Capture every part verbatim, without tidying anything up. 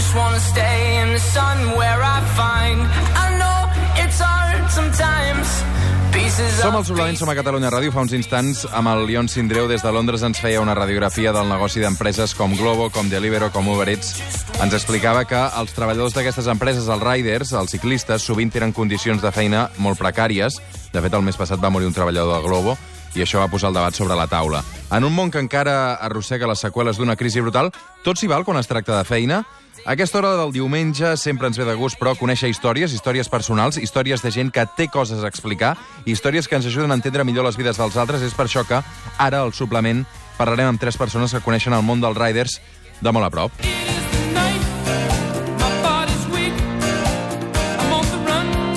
just wanna stay in the sun where I find I know it's hard sometimes. Som als Solament, som a Catalunya Ràdio. Fa uns instants, amb el Lion Sindreu des de Londres ens feia una radiografia del negoci d'empreses com Glovo, com Deliveroo, com Uber Eats. Ens explicava que els treballadors d'aquestes empreses, els riders, els ciclistes, sovint tenen condicions de feina molt precàries. De fet, el mes passat va morir un treballador de Glovo i això va posar el debat sobre la taula. En un món que encara arrossega les seqüeles d'una crisi brutal, tot s'hi val quan es tracta de feina? A aquesta hora del diumenge sempre ens ve de gust, però, conèixer històries, històries personals, històries de gent que té coses a explicar, històries que ens ajuden a entendre millor les vides dels altres. És per això que ara, al suplement, parlarem amb tres persones que coneixen el món dels riders de molt a prop.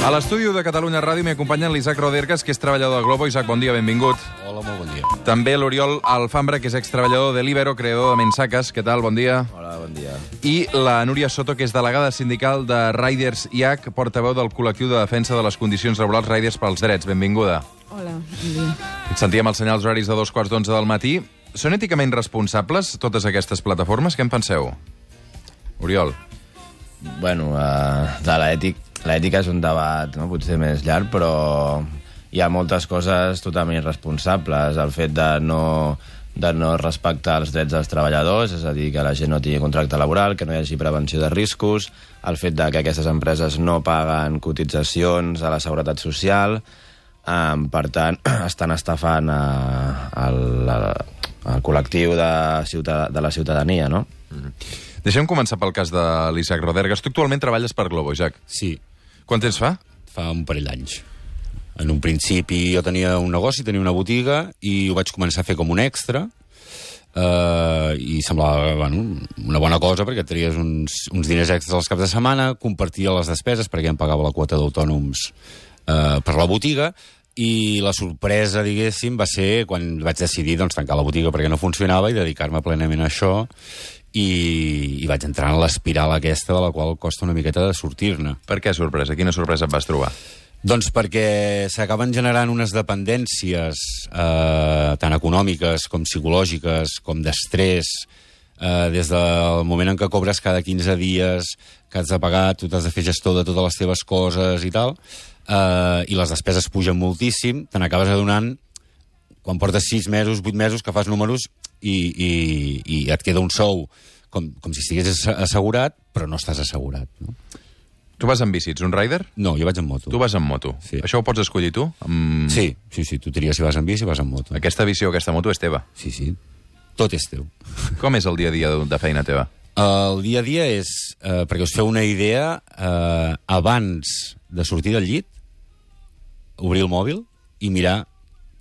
A l'estudi de Catalunya Ràdio m'hi acompanyen l'Isaac Rodergas, que és treballador de Glovo. Isaac, bon dia, benvingut. Hola, molt bon dia. També l'Oriol Alfambra, que és extreballador de Deliveroo, creador de Mensaques. Què tal? Bon dia. Hola, bon dia. I la Núria Soto, que és delegada sindical de Riders I A C, portaveu del col·lectiu de defensa de les condicions laborals Riders pels Drets. Benvinguda. Hola, bon dia. Sentíem els senyals horaris de dos quarts d'onze del matí. Són èticament responsables totes aquestes plataformes? Què en penseu? Oriol. Bueno, uh, de l'ètic, l'ètica és un debat, no? Potser més llarg, però hi ha moltes coses totalment irresponsables. El fet de no, de no respectar els drets dels treballadors, és a dir, que la gent no tingui contracte laboral, que no hi hagi prevenció de riscos, el fet de que aquestes empreses no paguen cotitzacions a la seguretat social, um, per tant, estan estafant a, a, a, al col·lectiu de, ciutad de la ciutadania, no? Mm-hmm. Deixem començar pel cas de l'Isaac Rodergas. Tu actualment treballes per Glovo, Isaac. Sí. Quant temps fa? Fa un parell d'anys. En un principi jo tenia un negoci, tenia una botiga, i ho vaig començar a fer com un extra, eh, i semblava, bueno, una bona cosa, perquè tenies uns, uns diners extras als caps de setmana, compartia les despeses, perquè em pagava la quota d'autònoms eh, per la botiga, i la sorpresa, diguéssim, va ser quan vaig decidir doncs, tancar la botiga perquè no funcionava i dedicar-me plenament a això, i, i vaig entrar en l'espiral aquesta de la qual costa una miqueta de sortir-ne. Per què sorpresa? Quina sorpresa et vas trobar? Doncs perquè s'acaben generant unes dependències eh, tant econòmiques com psicològiques, com d'estrès, eh, des del moment en què cobres cada quinze dies, que has de pagar, tu t'has de fer gestor de totes les teves coses i tal, eh, i les despeses pugen moltíssim, te n'acabes adonant quan portes sis mesos, vuit mesos, que fas números i, i, i et queda un sou com, com si estigués assegurat, però no estàs assegurat, no? Tu vas amb bici, ets un rider? No, jo vaig amb moto. Tu vas amb moto. Sí. Això ho pots escollir tu? Amb... Sí, sí, sí, tu tries si vas amb bici, vas amb moto. Aquesta bici o aquesta moto és teva? Sí, sí, tot és teu. Com és el dia a dia de feina teva? El dia a dia és, eh, perquè us feu una idea, eh, abans de sortir del llit, obrir el mòbil i mirar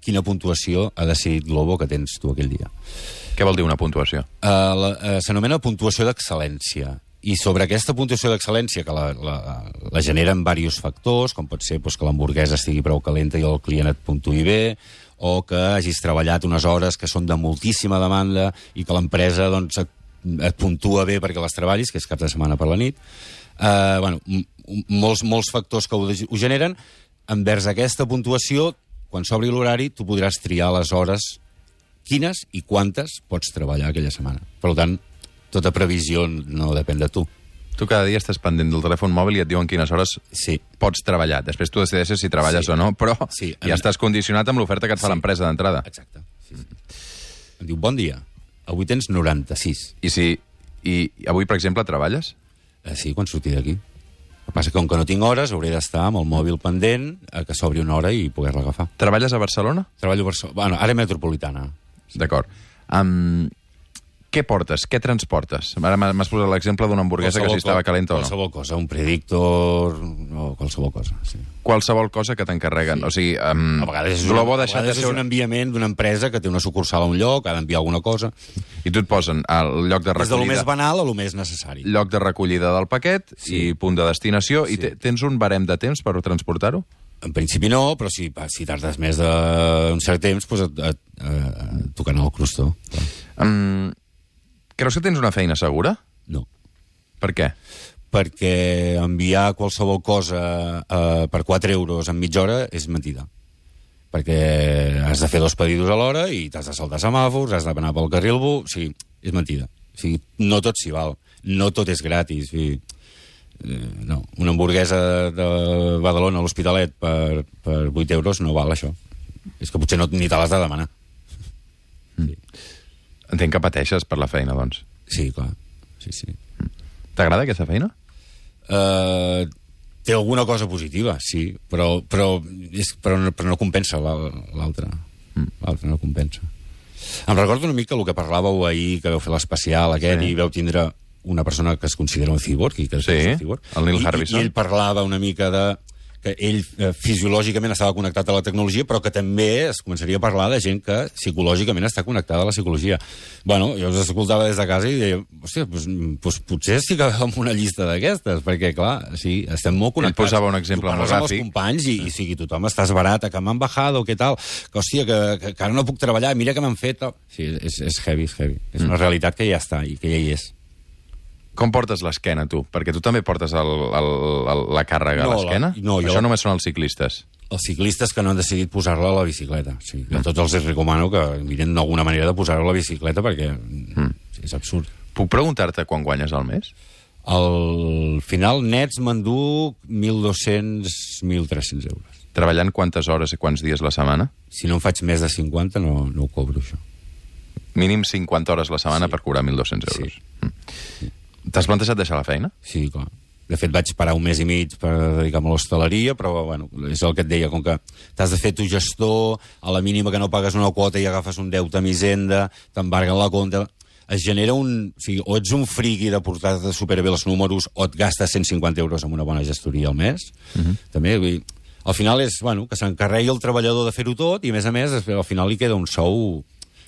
quina puntuació ha decidit Glovo que tens tu aquell dia. Què vol dir una puntuació? Uh, uh, S'anomena puntuació d'excel·lència. I sobre aquesta puntuació d'excel·lència, que la, la, la generen diversos factors, com pot ser doncs, que l'hamburguesa estigui prou calenta i el client et puntuï bé, o que hagis treballat unes hores que són de moltíssima demanda i que l'empresa doncs, et, et puntua bé perquè les treballis, que és cap de setmana per la nit. Uh, bueno, molts, molts factors que ho, ho generen. Envers aquesta puntuació, quan s'obri l'horari, tu podràs triar les hores quines i quantes pots treballar aquella setmana. Per tant, tota previsió no depèn de tu. Tu cada dia estàs pendent del telèfon mòbil i et diuen quines hores sí. pots treballar. Després tu decideixes si treballes sí. o no, però sí. ja mi... estàs condicionat amb l'oferta que et fa sí. l'empresa d'entrada. Exacte. Sí, sí. Em diu, bon dia, avui tens noranta-sis. I si i avui, per exemple, treballes? Eh, sí, quan surti d'aquí. El que passa que com que no tinc hores, hauré d'estar amb el mòbil pendent a que s'obri una hora i poder-la agafar. Treballes a Barcelona? Treballo a Barcelona. Bueno, àrea metropolitana. Sí. D'acord. Um, què portes? Què transportes? Ara m'has posat l'exemple d'una hamburguesa qualsevol que si estava calenta o no. Qualsevol cosa, un predictor o qualsevol cosa, sí. Qualsevol cosa que t'encarreguen. Sí. O sigui, um, a vegades és, Glovo una, deixat a vegades de ser... és un enviament d'una empresa que té una sucursal a un lloc, ha d'enviar alguna cosa. I tu et posen al lloc de recollida... Des de lo més banal a lo més necessari. Lloc de recollida del paquet sí. i punt de destinació. Sí. I tens un barem de temps per transportar-ho? En principi no, però si, si tardes més d'un cert temps, doncs et, et, et, et toquen el crostó. Um, creus que tens una feina segura? No. Per què? Perquè enviar qualsevol cosa eh, per quatre euros en mitja hora és mentida. Perquè has de fer dos pedidos a l'hora i t'has de saltar semàfors, has d'anar pel carril bus... O sigui, és mentida. O sigui, no tot s'hi val. no tot és gratis. I, eh, no, una hamburguesa de Badalona a l'Hospitalet per, per vuit euros no val això. És que potser no, ni te l'has de demanar. Mm. Sí. Entenc que pateixes per la feina, doncs. Sí, clar. Sí, sí. Mm. T'agrada aquesta feina? Uh, té alguna cosa positiva, sí, però, però, és, però, no, però no compensa l'altra. Mm. L'altra no compensa. Em recordo una mica el que parlàveu ahir, que vau fer l'especial aquest, sí. I vau tindre una persona que es considera un cyborg, i que és sí, un cyborg. El Neil I, Harbisson. I ell parlava una mica de que ell eh, fisiològicament estava connectat a la tecnologia, però que també es començaria a parlar de gent que psicològicament està connectada a la psicologia. Bueno, jo us escoltava des de casa i deia, hòstia, doncs, doncs potser estic en una llista d'aquestes, perquè, clar, sí, estem molt connectats. Ell posava un exemple molt gràfic. Amb els companys i, i sigui, tothom estàs barat, que m'han bajado, què tal, que, hòstia, que, que, que ara no puc treballar, mira que m'han fet... Sí, és, és heavy, és heavy. És una realitat que ja està i que ja hi és. Com portes l'esquena, tu? Perquè tu també portes el, el, el, la càrrega no, a l'esquena? No, Això jo... només són els ciclistes. Els ciclistes que no han decidit posar-la a la bicicleta. Sí. A tots els recomano que miren alguna manera de posar-la a la bicicleta perquè mm. és absurd. Puc preguntar-te quan guanyes al mes? Al final, nets m'enduc mil dos-cents a mil tres-cents euros. Treballant quantes hores i quants dies la setmana? Si no en faig més de cinquanta, no, no ho cobro, això. Mínim cinquanta hores la setmana sí. per cobrar mil dos-cents euros. Sí. Mm. T'has plantejat deixar la feina? Sí, clar. De fet, vaig parar un mes i mig per dedicar-me a l'hostaleria, però, bueno, és el que et deia, com que t'has de fer tu gestor, a la mínima que no pagues una quota i agafes un deute amb Hisenda, t'embarguen la compta... Es genera un... O sigui, o ets un friqui de portar-te superbé els números, o et gastes cent cinquanta euros amb una bona gestoria al mes. Uh-huh. També, vull dir, al final és, bueno, que s'encarregui el treballador de fer-ho tot, i, a més a més, al final li queda un sou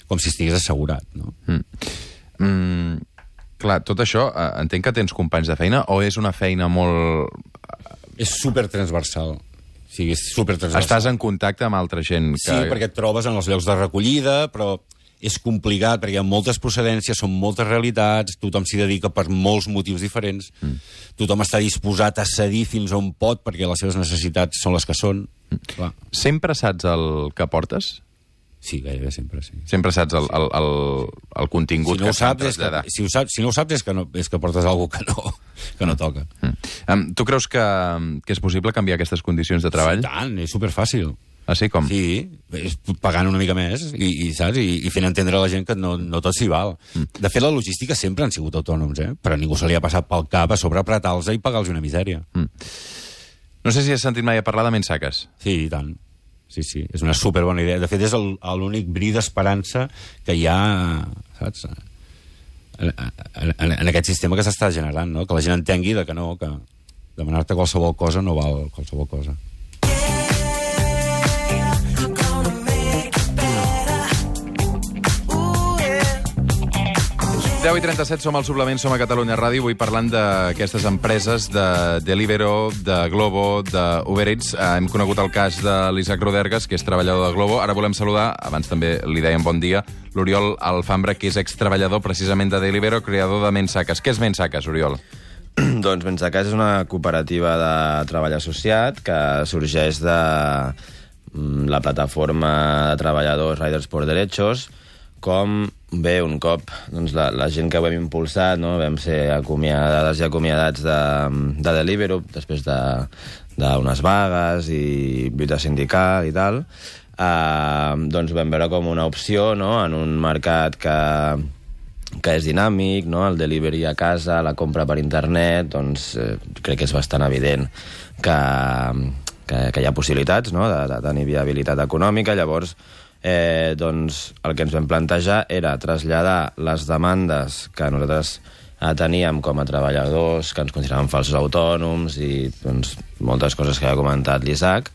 com si estigués assegurat, no? Mm. Mm. Clar, tot això, eh, entenc que tens companys de feina o és una feina molt... És supertransversal. O sigui, és supertransversal. Estàs en contacte amb altra gent que... Sí, perquè et trobes en els llocs de recollida, però és complicat perquè hi ha moltes procedències, són moltes realitats, tothom s'hi dedica per molts motius diferents, mm. tothom està disposat a cedir fins on pot perquè les seves necessitats són les que són. Mm. Clar. Sempre saps el que portes? Sí, gairebé sempre, sí. Sempre saps el, el, el, el contingut si no que s'ha de traslladar. Si, ho saps, si no ho saps és que, no, és que portes alguna cosa que no, que no toca. Mm. Um, tu creus que, que és possible canviar aquestes condicions de treball? Sí, tant, és superfàcil. Ah, sí? Com? Sí, és pagant una mica més i, i, saps? I, i fent entendre a la gent que no, no tot s'hi val. Mm. De fet, la logística sempre han sigut autònoms, eh? Però a ningú se li ha passat pel cap a sobre apretar-los i pagar-los una misèria. Mm. No sé si has sentit mai a parlar de Mensaques. Sí, i tant. Sí, sí, és una superbona idea. De fet, és l'únic bri d'esperança que hi ha, saps? En, en, en aquest sistema que s'està generant, no? Que la gent entengui de que no, que demanar-te qualsevol cosa no val qualsevol cosa. deu i trenta-set, som al Suplement, som a Catalunya Ràdio, avui parlant d'aquestes empreses de Deliveroo, de Glovo, d'Uber Eats. Hem conegut el cas de l'Isaac Rodergas, que és treballador de Glovo. Ara volem saludar, abans també li dèiem bon dia, l'Oriol Alfambra, que és extreballador precisament de Deliveroo, creador de Mensaques. Què és Mensaques, Oriol? Doncs Mensaques és una cooperativa de treball associat que sorgeix de la plataforma de treballadors Riders por Derechos, com bé, un cop doncs, la, la gent que ho hem impulsat, no? Vam ser acomiadades i acomiadats de, de Deliveroo després d'unes de, vagues i lluita sindical i tal, eh, doncs vam veure com una opció, no? En un mercat que, que és dinàmic, no? El delivery a casa, la compra per internet, doncs eh, crec que és bastant evident que, que, que hi ha possibilitats, no? de, de tenir viabilitat econòmica. Llavors, Eh, doncs el que ens vam plantejar era traslladar les demandes que nosaltres eh, teníem com a treballadors, que ens consideràvem falsos autònoms i doncs, moltes coses que ha comentat l'Isaac,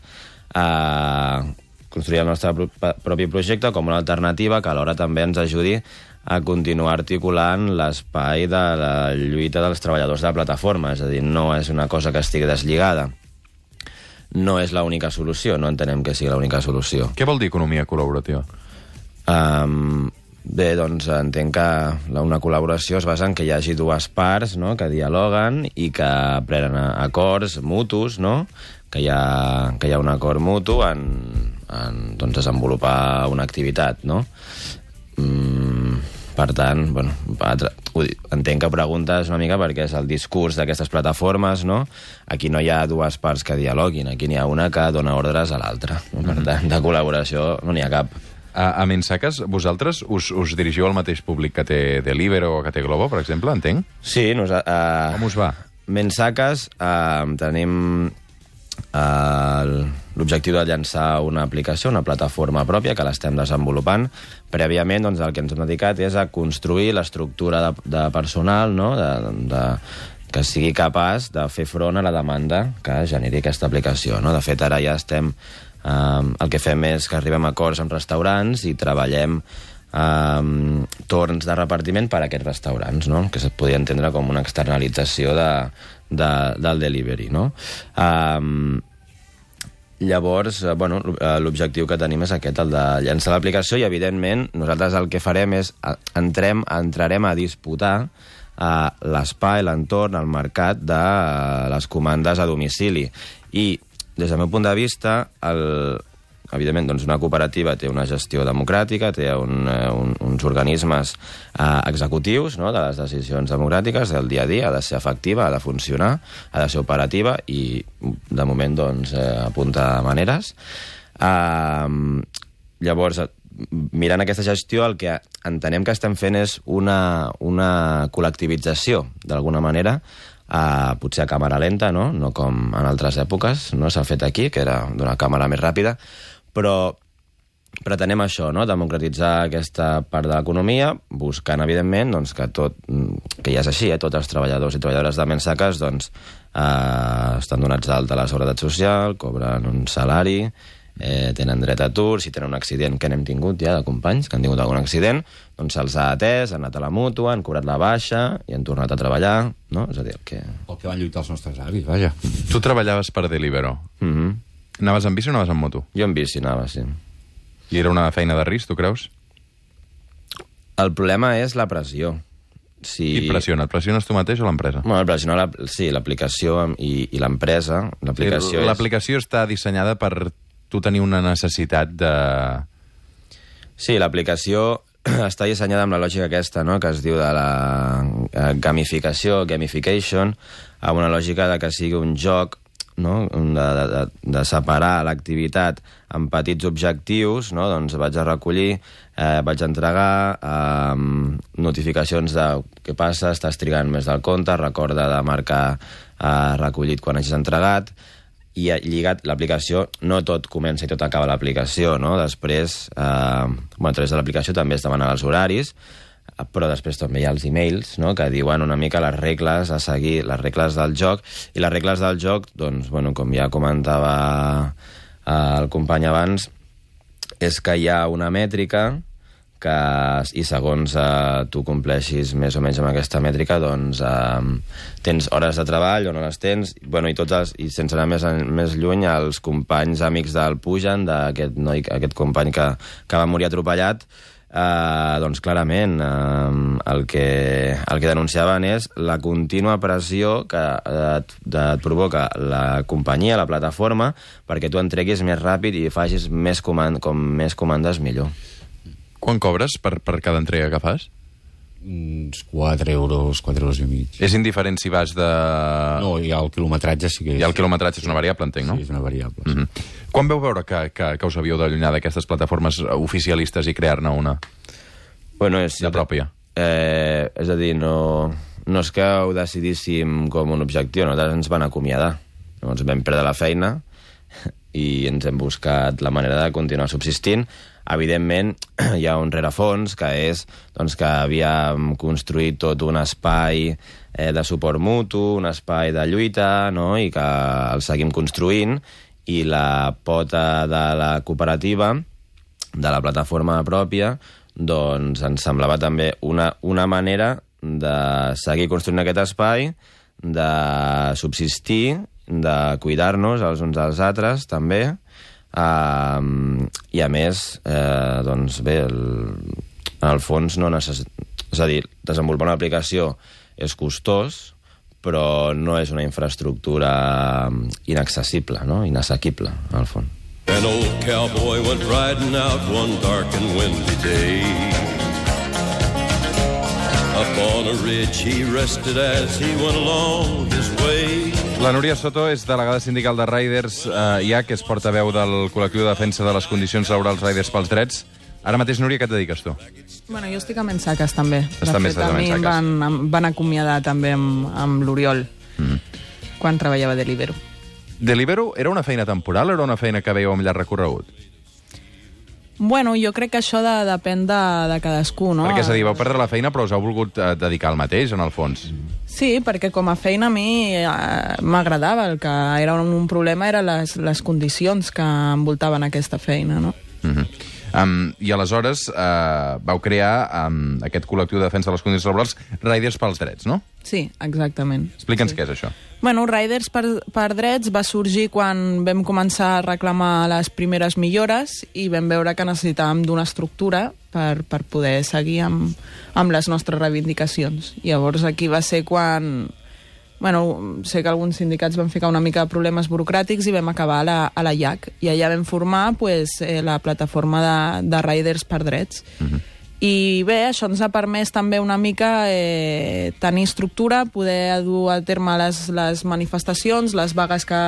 a construir el nostre pro propi projecte com una alternativa que alhora també ens ajudi a continuar articulant l'espai de la lluita dels treballadors de la plataforma. És a dir, no és una cosa que estigui deslligada. No és l'única solució, no entenem que sigui l'única solució. Què vol dir economia col·laborativa? Um, bé, doncs entenc que una col·laboració es basa en que hi hagi dues parts, no?, que dialoguen i que prenen acords mutus, no?, que hi ha, que hi ha un acord mutu en, en doncs, desenvolupar una activitat, no? Mm, per tant, bueno, entenc que preguntes una mica perquè és el discurs d'aquestes plataformes, no? Aquí no hi ha dues parts que dialoguin, aquí n'hi ha una que dona ordres a l'altra. No? Per tant, de col·laboració no n'hi ha cap. A, a Mensaques, vosaltres us, us dirigiu al mateix públic que té Deliveroo o que té Globo, per exemple, entenc? Sí, nosaltres... Uh, Com us va? Mensaques, uh, tenim uh, l'objectiu de llançar una aplicació, una plataforma pròpia, que l'estem desenvolupant. Prèviament, doncs, el que ens hem dedicat és a construir l'estructura de, de personal, no?, de, de, que sigui capaç de fer front a la demanda que generi aquesta aplicació. No? De fet, ara ja estem... Uh, el que fem és que arribem a acords amb restaurants i treballem uh, torns de repartiment per a aquests restaurants, no? Que es podria entendre com una externalització de, de, del delivery. No? Uh, llavors, uh, bueno, l'objectiu que tenim és aquest, el de llançar l'aplicació, i evidentment nosaltres el que farem és entrem, entrarem a disputar uh, l'espai, l'entorn, el mercat de uh, les comandes a domicili. I des del meu punt de vista, el, evidentment, doncs una cooperativa té una gestió democràtica, té un, un, uns organismes eh, executius, no?, de les decisions democràtiques del dia a dia, ha de ser efectiva, ha de funcionar, ha de ser operativa i, de moment, doncs, eh, apunta maneres. Eh, llavors, mirant aquesta gestió, el que entenem que estem fent és una, una col·lectivització, d'alguna manera, Uh, potser a càmera lenta, no? No com en altres èpoques, no s'ha fet aquí, que era d'una càmera més ràpida, però pretenem això, no? Democratitzar aquesta part de l'economia, buscant, evidentment, doncs, que tot, que ja és així, eh? Tots els treballadors i treballadores de Mensaques doncs, uh, estan donats d'alta a la Seguretat Social, cobren un salari, eh, tenen dret a atur, si tenen un accident, que n'hem tingut ja de companys que han tingut algun accident, doncs se'ls ha atès, han anat a la mútua, han cobrat la baixa i han tornat a treballar, no? És a dir, el que... El que van lluitar els nostres avis, vaja. Tu treballaves per Deliveroo. Mm-hmm. Anaves en bici o anaves en moto? Jo en bici anava, sí. I era una feina de risc, tu creus? El problema és la pressió. Si... Qui et pressiona? Et pressiones tu mateix o l'empresa? Bueno, pressiona la... sí, l'aplicació i, i l'empresa. L'aplicació, l'aplicació és... està dissenyada per tu tenir una necessitat de... Sí, l'aplicació està dissenyada amb la lògica aquesta, no?, que es diu de la gamificació, gamification, amb una lògica de que sigui un joc, no?, de, de, de separar l'activitat en petits objectius, no?, doncs vaig a recollir, eh, vaig a entregar eh, notificacions de què passa, estàs trigant més del compte, recorda de marcar eh, recollit quan hagis entregat, i lligat l'aplicació, no tot comença i tot acaba l'aplicació, no? Després, eh, bueno, a través de l'aplicació també es demanen els horaris, però després també hi ha els e-mails, no?, que diuen una mica les regles a seguir, les regles del joc, i les regles del joc, doncs, bueno, com ja comentava eh, el company abans, és que hi ha una mètrica que, i segons eh, tu compleixis més o menys amb aquesta mètrica, doncs eh, tens hores de treball o no les tens, bueno, i, tots els, i sense anar més, més lluny, els companys amics del Pujan, d'aquest noi, aquest company que, que va morir atropellat, eh, doncs clarament eh, el, que, el que denunciaven és la contínua pressió que et, et provoca la companyia, la plataforma, perquè tu entreguis més ràpid i facis més, comand, com més comandes millor. Quan cobres per, per cada entrega que fas? Uns quatre euros, quatre euros i mig. És indiferent si vas de... No, hi ha el quilometratge, sí que és... I el quilometratge és una variable, entenc, no? Sí, és una variable. Mm -hmm. Quan veu veure que, que, que us havíeu d'allunyar d'aquestes plataformes oficialistes i crear-ne una? Bueno, és... La pròpia. Eh, és a dir, no, no és que ho decidíssim com un objectiu, nosaltres ens van acomiadar. Llavors vam perdre la feina i ens hem buscat la manera de continuar subsistint. Evidentment, hi ha un rerefons, que és doncs, que havíem construït tot un espai eh, de suport mutu, un espai de lluita, no?, i que el seguim construint, i la pota de la cooperativa, de la plataforma pròpia, doncs ens semblava també una, una manera de seguir construint aquest espai, de subsistir, de cuidar-nos els uns als altres, també, Uh, i a més eh, doncs bé el, en el fons no necessit... és a dir, desenvolupar una aplicació és costós, però no és una infraestructura inaccessible, no? Inassequible, al fons. An old cowboy went riding out one dark and windy day. Up on a ridge he rested as he went along his way. La Núria Soto és delegada sindical de Riders eh, I A, que és portaveu del col·lectiu de defensa de les condicions laborals Riders pels drets. Ara mateix, Núria, què et dediques tu? Bueno, jo estic a Mensaques, també. Estàs de també fet, a a mi em Mensaques. van, em van acomiadar també amb, amb l'Oriol, Mm. quan treballava de Deliveroo. Deliveroo era una feina temporal o era una feina que veieu amb llarg recorregut? Bueno, jo crec que això de, depèn de, de cadascú, no? Perquè, és a dir, vau perdre la feina però us heu volgut eh, dedicar al mateix, en el fons. Sí, perquè com a feina a mi eh, m'agradava. El que era un, un problema eren les, les condicions que envoltaven aquesta feina, no? Mm-hmm. Um, I aleshores uh, vau crear um, aquest col·lectiu de defensa de les condicions laborals Riders pels drets, no? Sí, exactament. Explica'ns sí. què és això. Bueno, Riders per, per drets va sorgir quan vam començar a reclamar les primeres millores i vam veure que necessitàvem d'una estructura per, per poder seguir amb, amb les nostres reivindicacions. Llavors aquí va ser quan... Bueno, sé que alguns sindicats van ficar una mica de problemes burocràtics i vam acabar a la, a la I A C. I allà vam formar pues, eh, la plataforma de, de Riders per drets. Uh-huh. I bé, això ens ha permès també una mica eh, tenir estructura, poder dur a terme les, les manifestacions, les vagues que,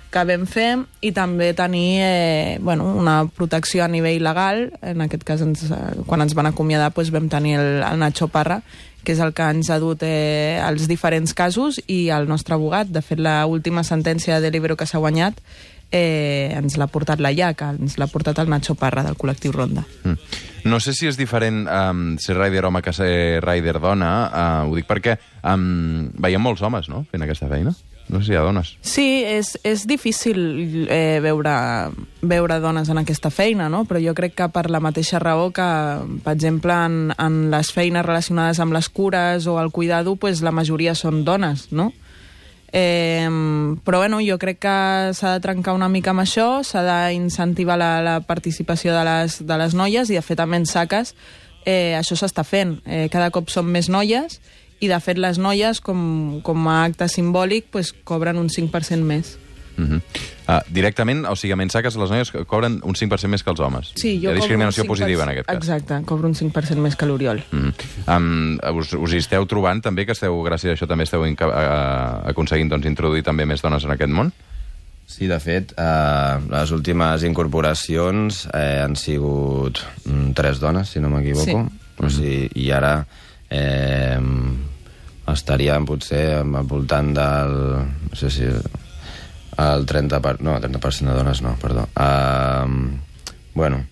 que vam fer i també tenir eh, bueno, una protecció a nivell legal. En aquest cas, ens, quan ens van acomiadar, doncs vam tenir el, el Nacho Parra, que és el que ens ha dut eh, als diferents casos, i el nostre abogat. De fet, l'última sentència de Deliveroo que s'ha guanyat eh, ens l'ha portat la I A C, ens l'ha portat el Nacho Parra, del col·lectiu Ronda. Mm. No sé si és diferent um, ser rider home que ser rider dona. Uh, ho dic perquè um, veiem molts homes, no?, fent aquesta feina. No sé si hi ha dones. Sí, és, és difícil eh, veure, veure dones en aquesta feina, no? Però jo crec que per la mateixa raó que, per exemple, en, en les feines relacionades amb les cures o el cuidado, pues, la majoria són dones, no? Eh, però bueno, jo crec que s'ha de trencar una mica amb això, s'ha d'incentivar la, la participació de les, de les noies, i de fet a Mensaques eh, això s'està fent. Eh, cada cop són més noies, i de fet les noies, com, com a acte simbòlic, pues, cobren un cinc per cent més. Uh-huh. uh, directament, o sigui, a Mensaques les noies cobren un cinc per cent més que els homes. Sí, jo hi ha discriminació cobro un cinc per cent positiva en aquest cas. Exacte, cobro un cinc per cent més que l'Oriol. Uh-huh. um, us, us hi esteu trobant també, que esteu, gràcies a això també esteu inca- uh, aconseguint doncs, introduir també més dones en aquest món? Sí, de fet, eh, les últimes incorporacions eh, han sigut mm, tres dones, si no m'equivoco. Sí. O sigui, i ara eh, estaríem potser al voltant del... no sé si... el trenta per cent... no, el trenta per cent de dones no, perdó. Uh, bueno,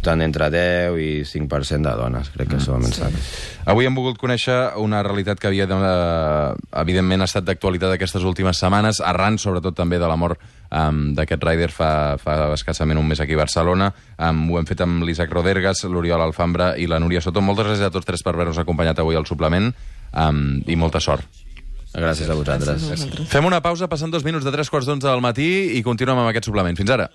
tant entre deu i cinc per cent de dones, crec que mm, som a Mensaques. Sí. Avui hem volgut conèixer una realitat que havia, de, evidentment, ha estat d'actualitat aquestes últimes setmanes, arran, sobretot, també de la mort um, d'aquest rider fa, fa escassament un mes aquí a Barcelona. Um, ho hem fet amb l'Isaac Rodergas, l'Oriol Alfambra i la Núria Soto. Moltes gràcies a tots tres per haver-nos acompanyat avui al suplement, um, i molta sort. Gràcies a vosaltres. Gràcies a vosaltres. Fem una pausa, passant dos minuts de tres quarts d'onze del matí, i continuem amb aquest suplement. Fins ara.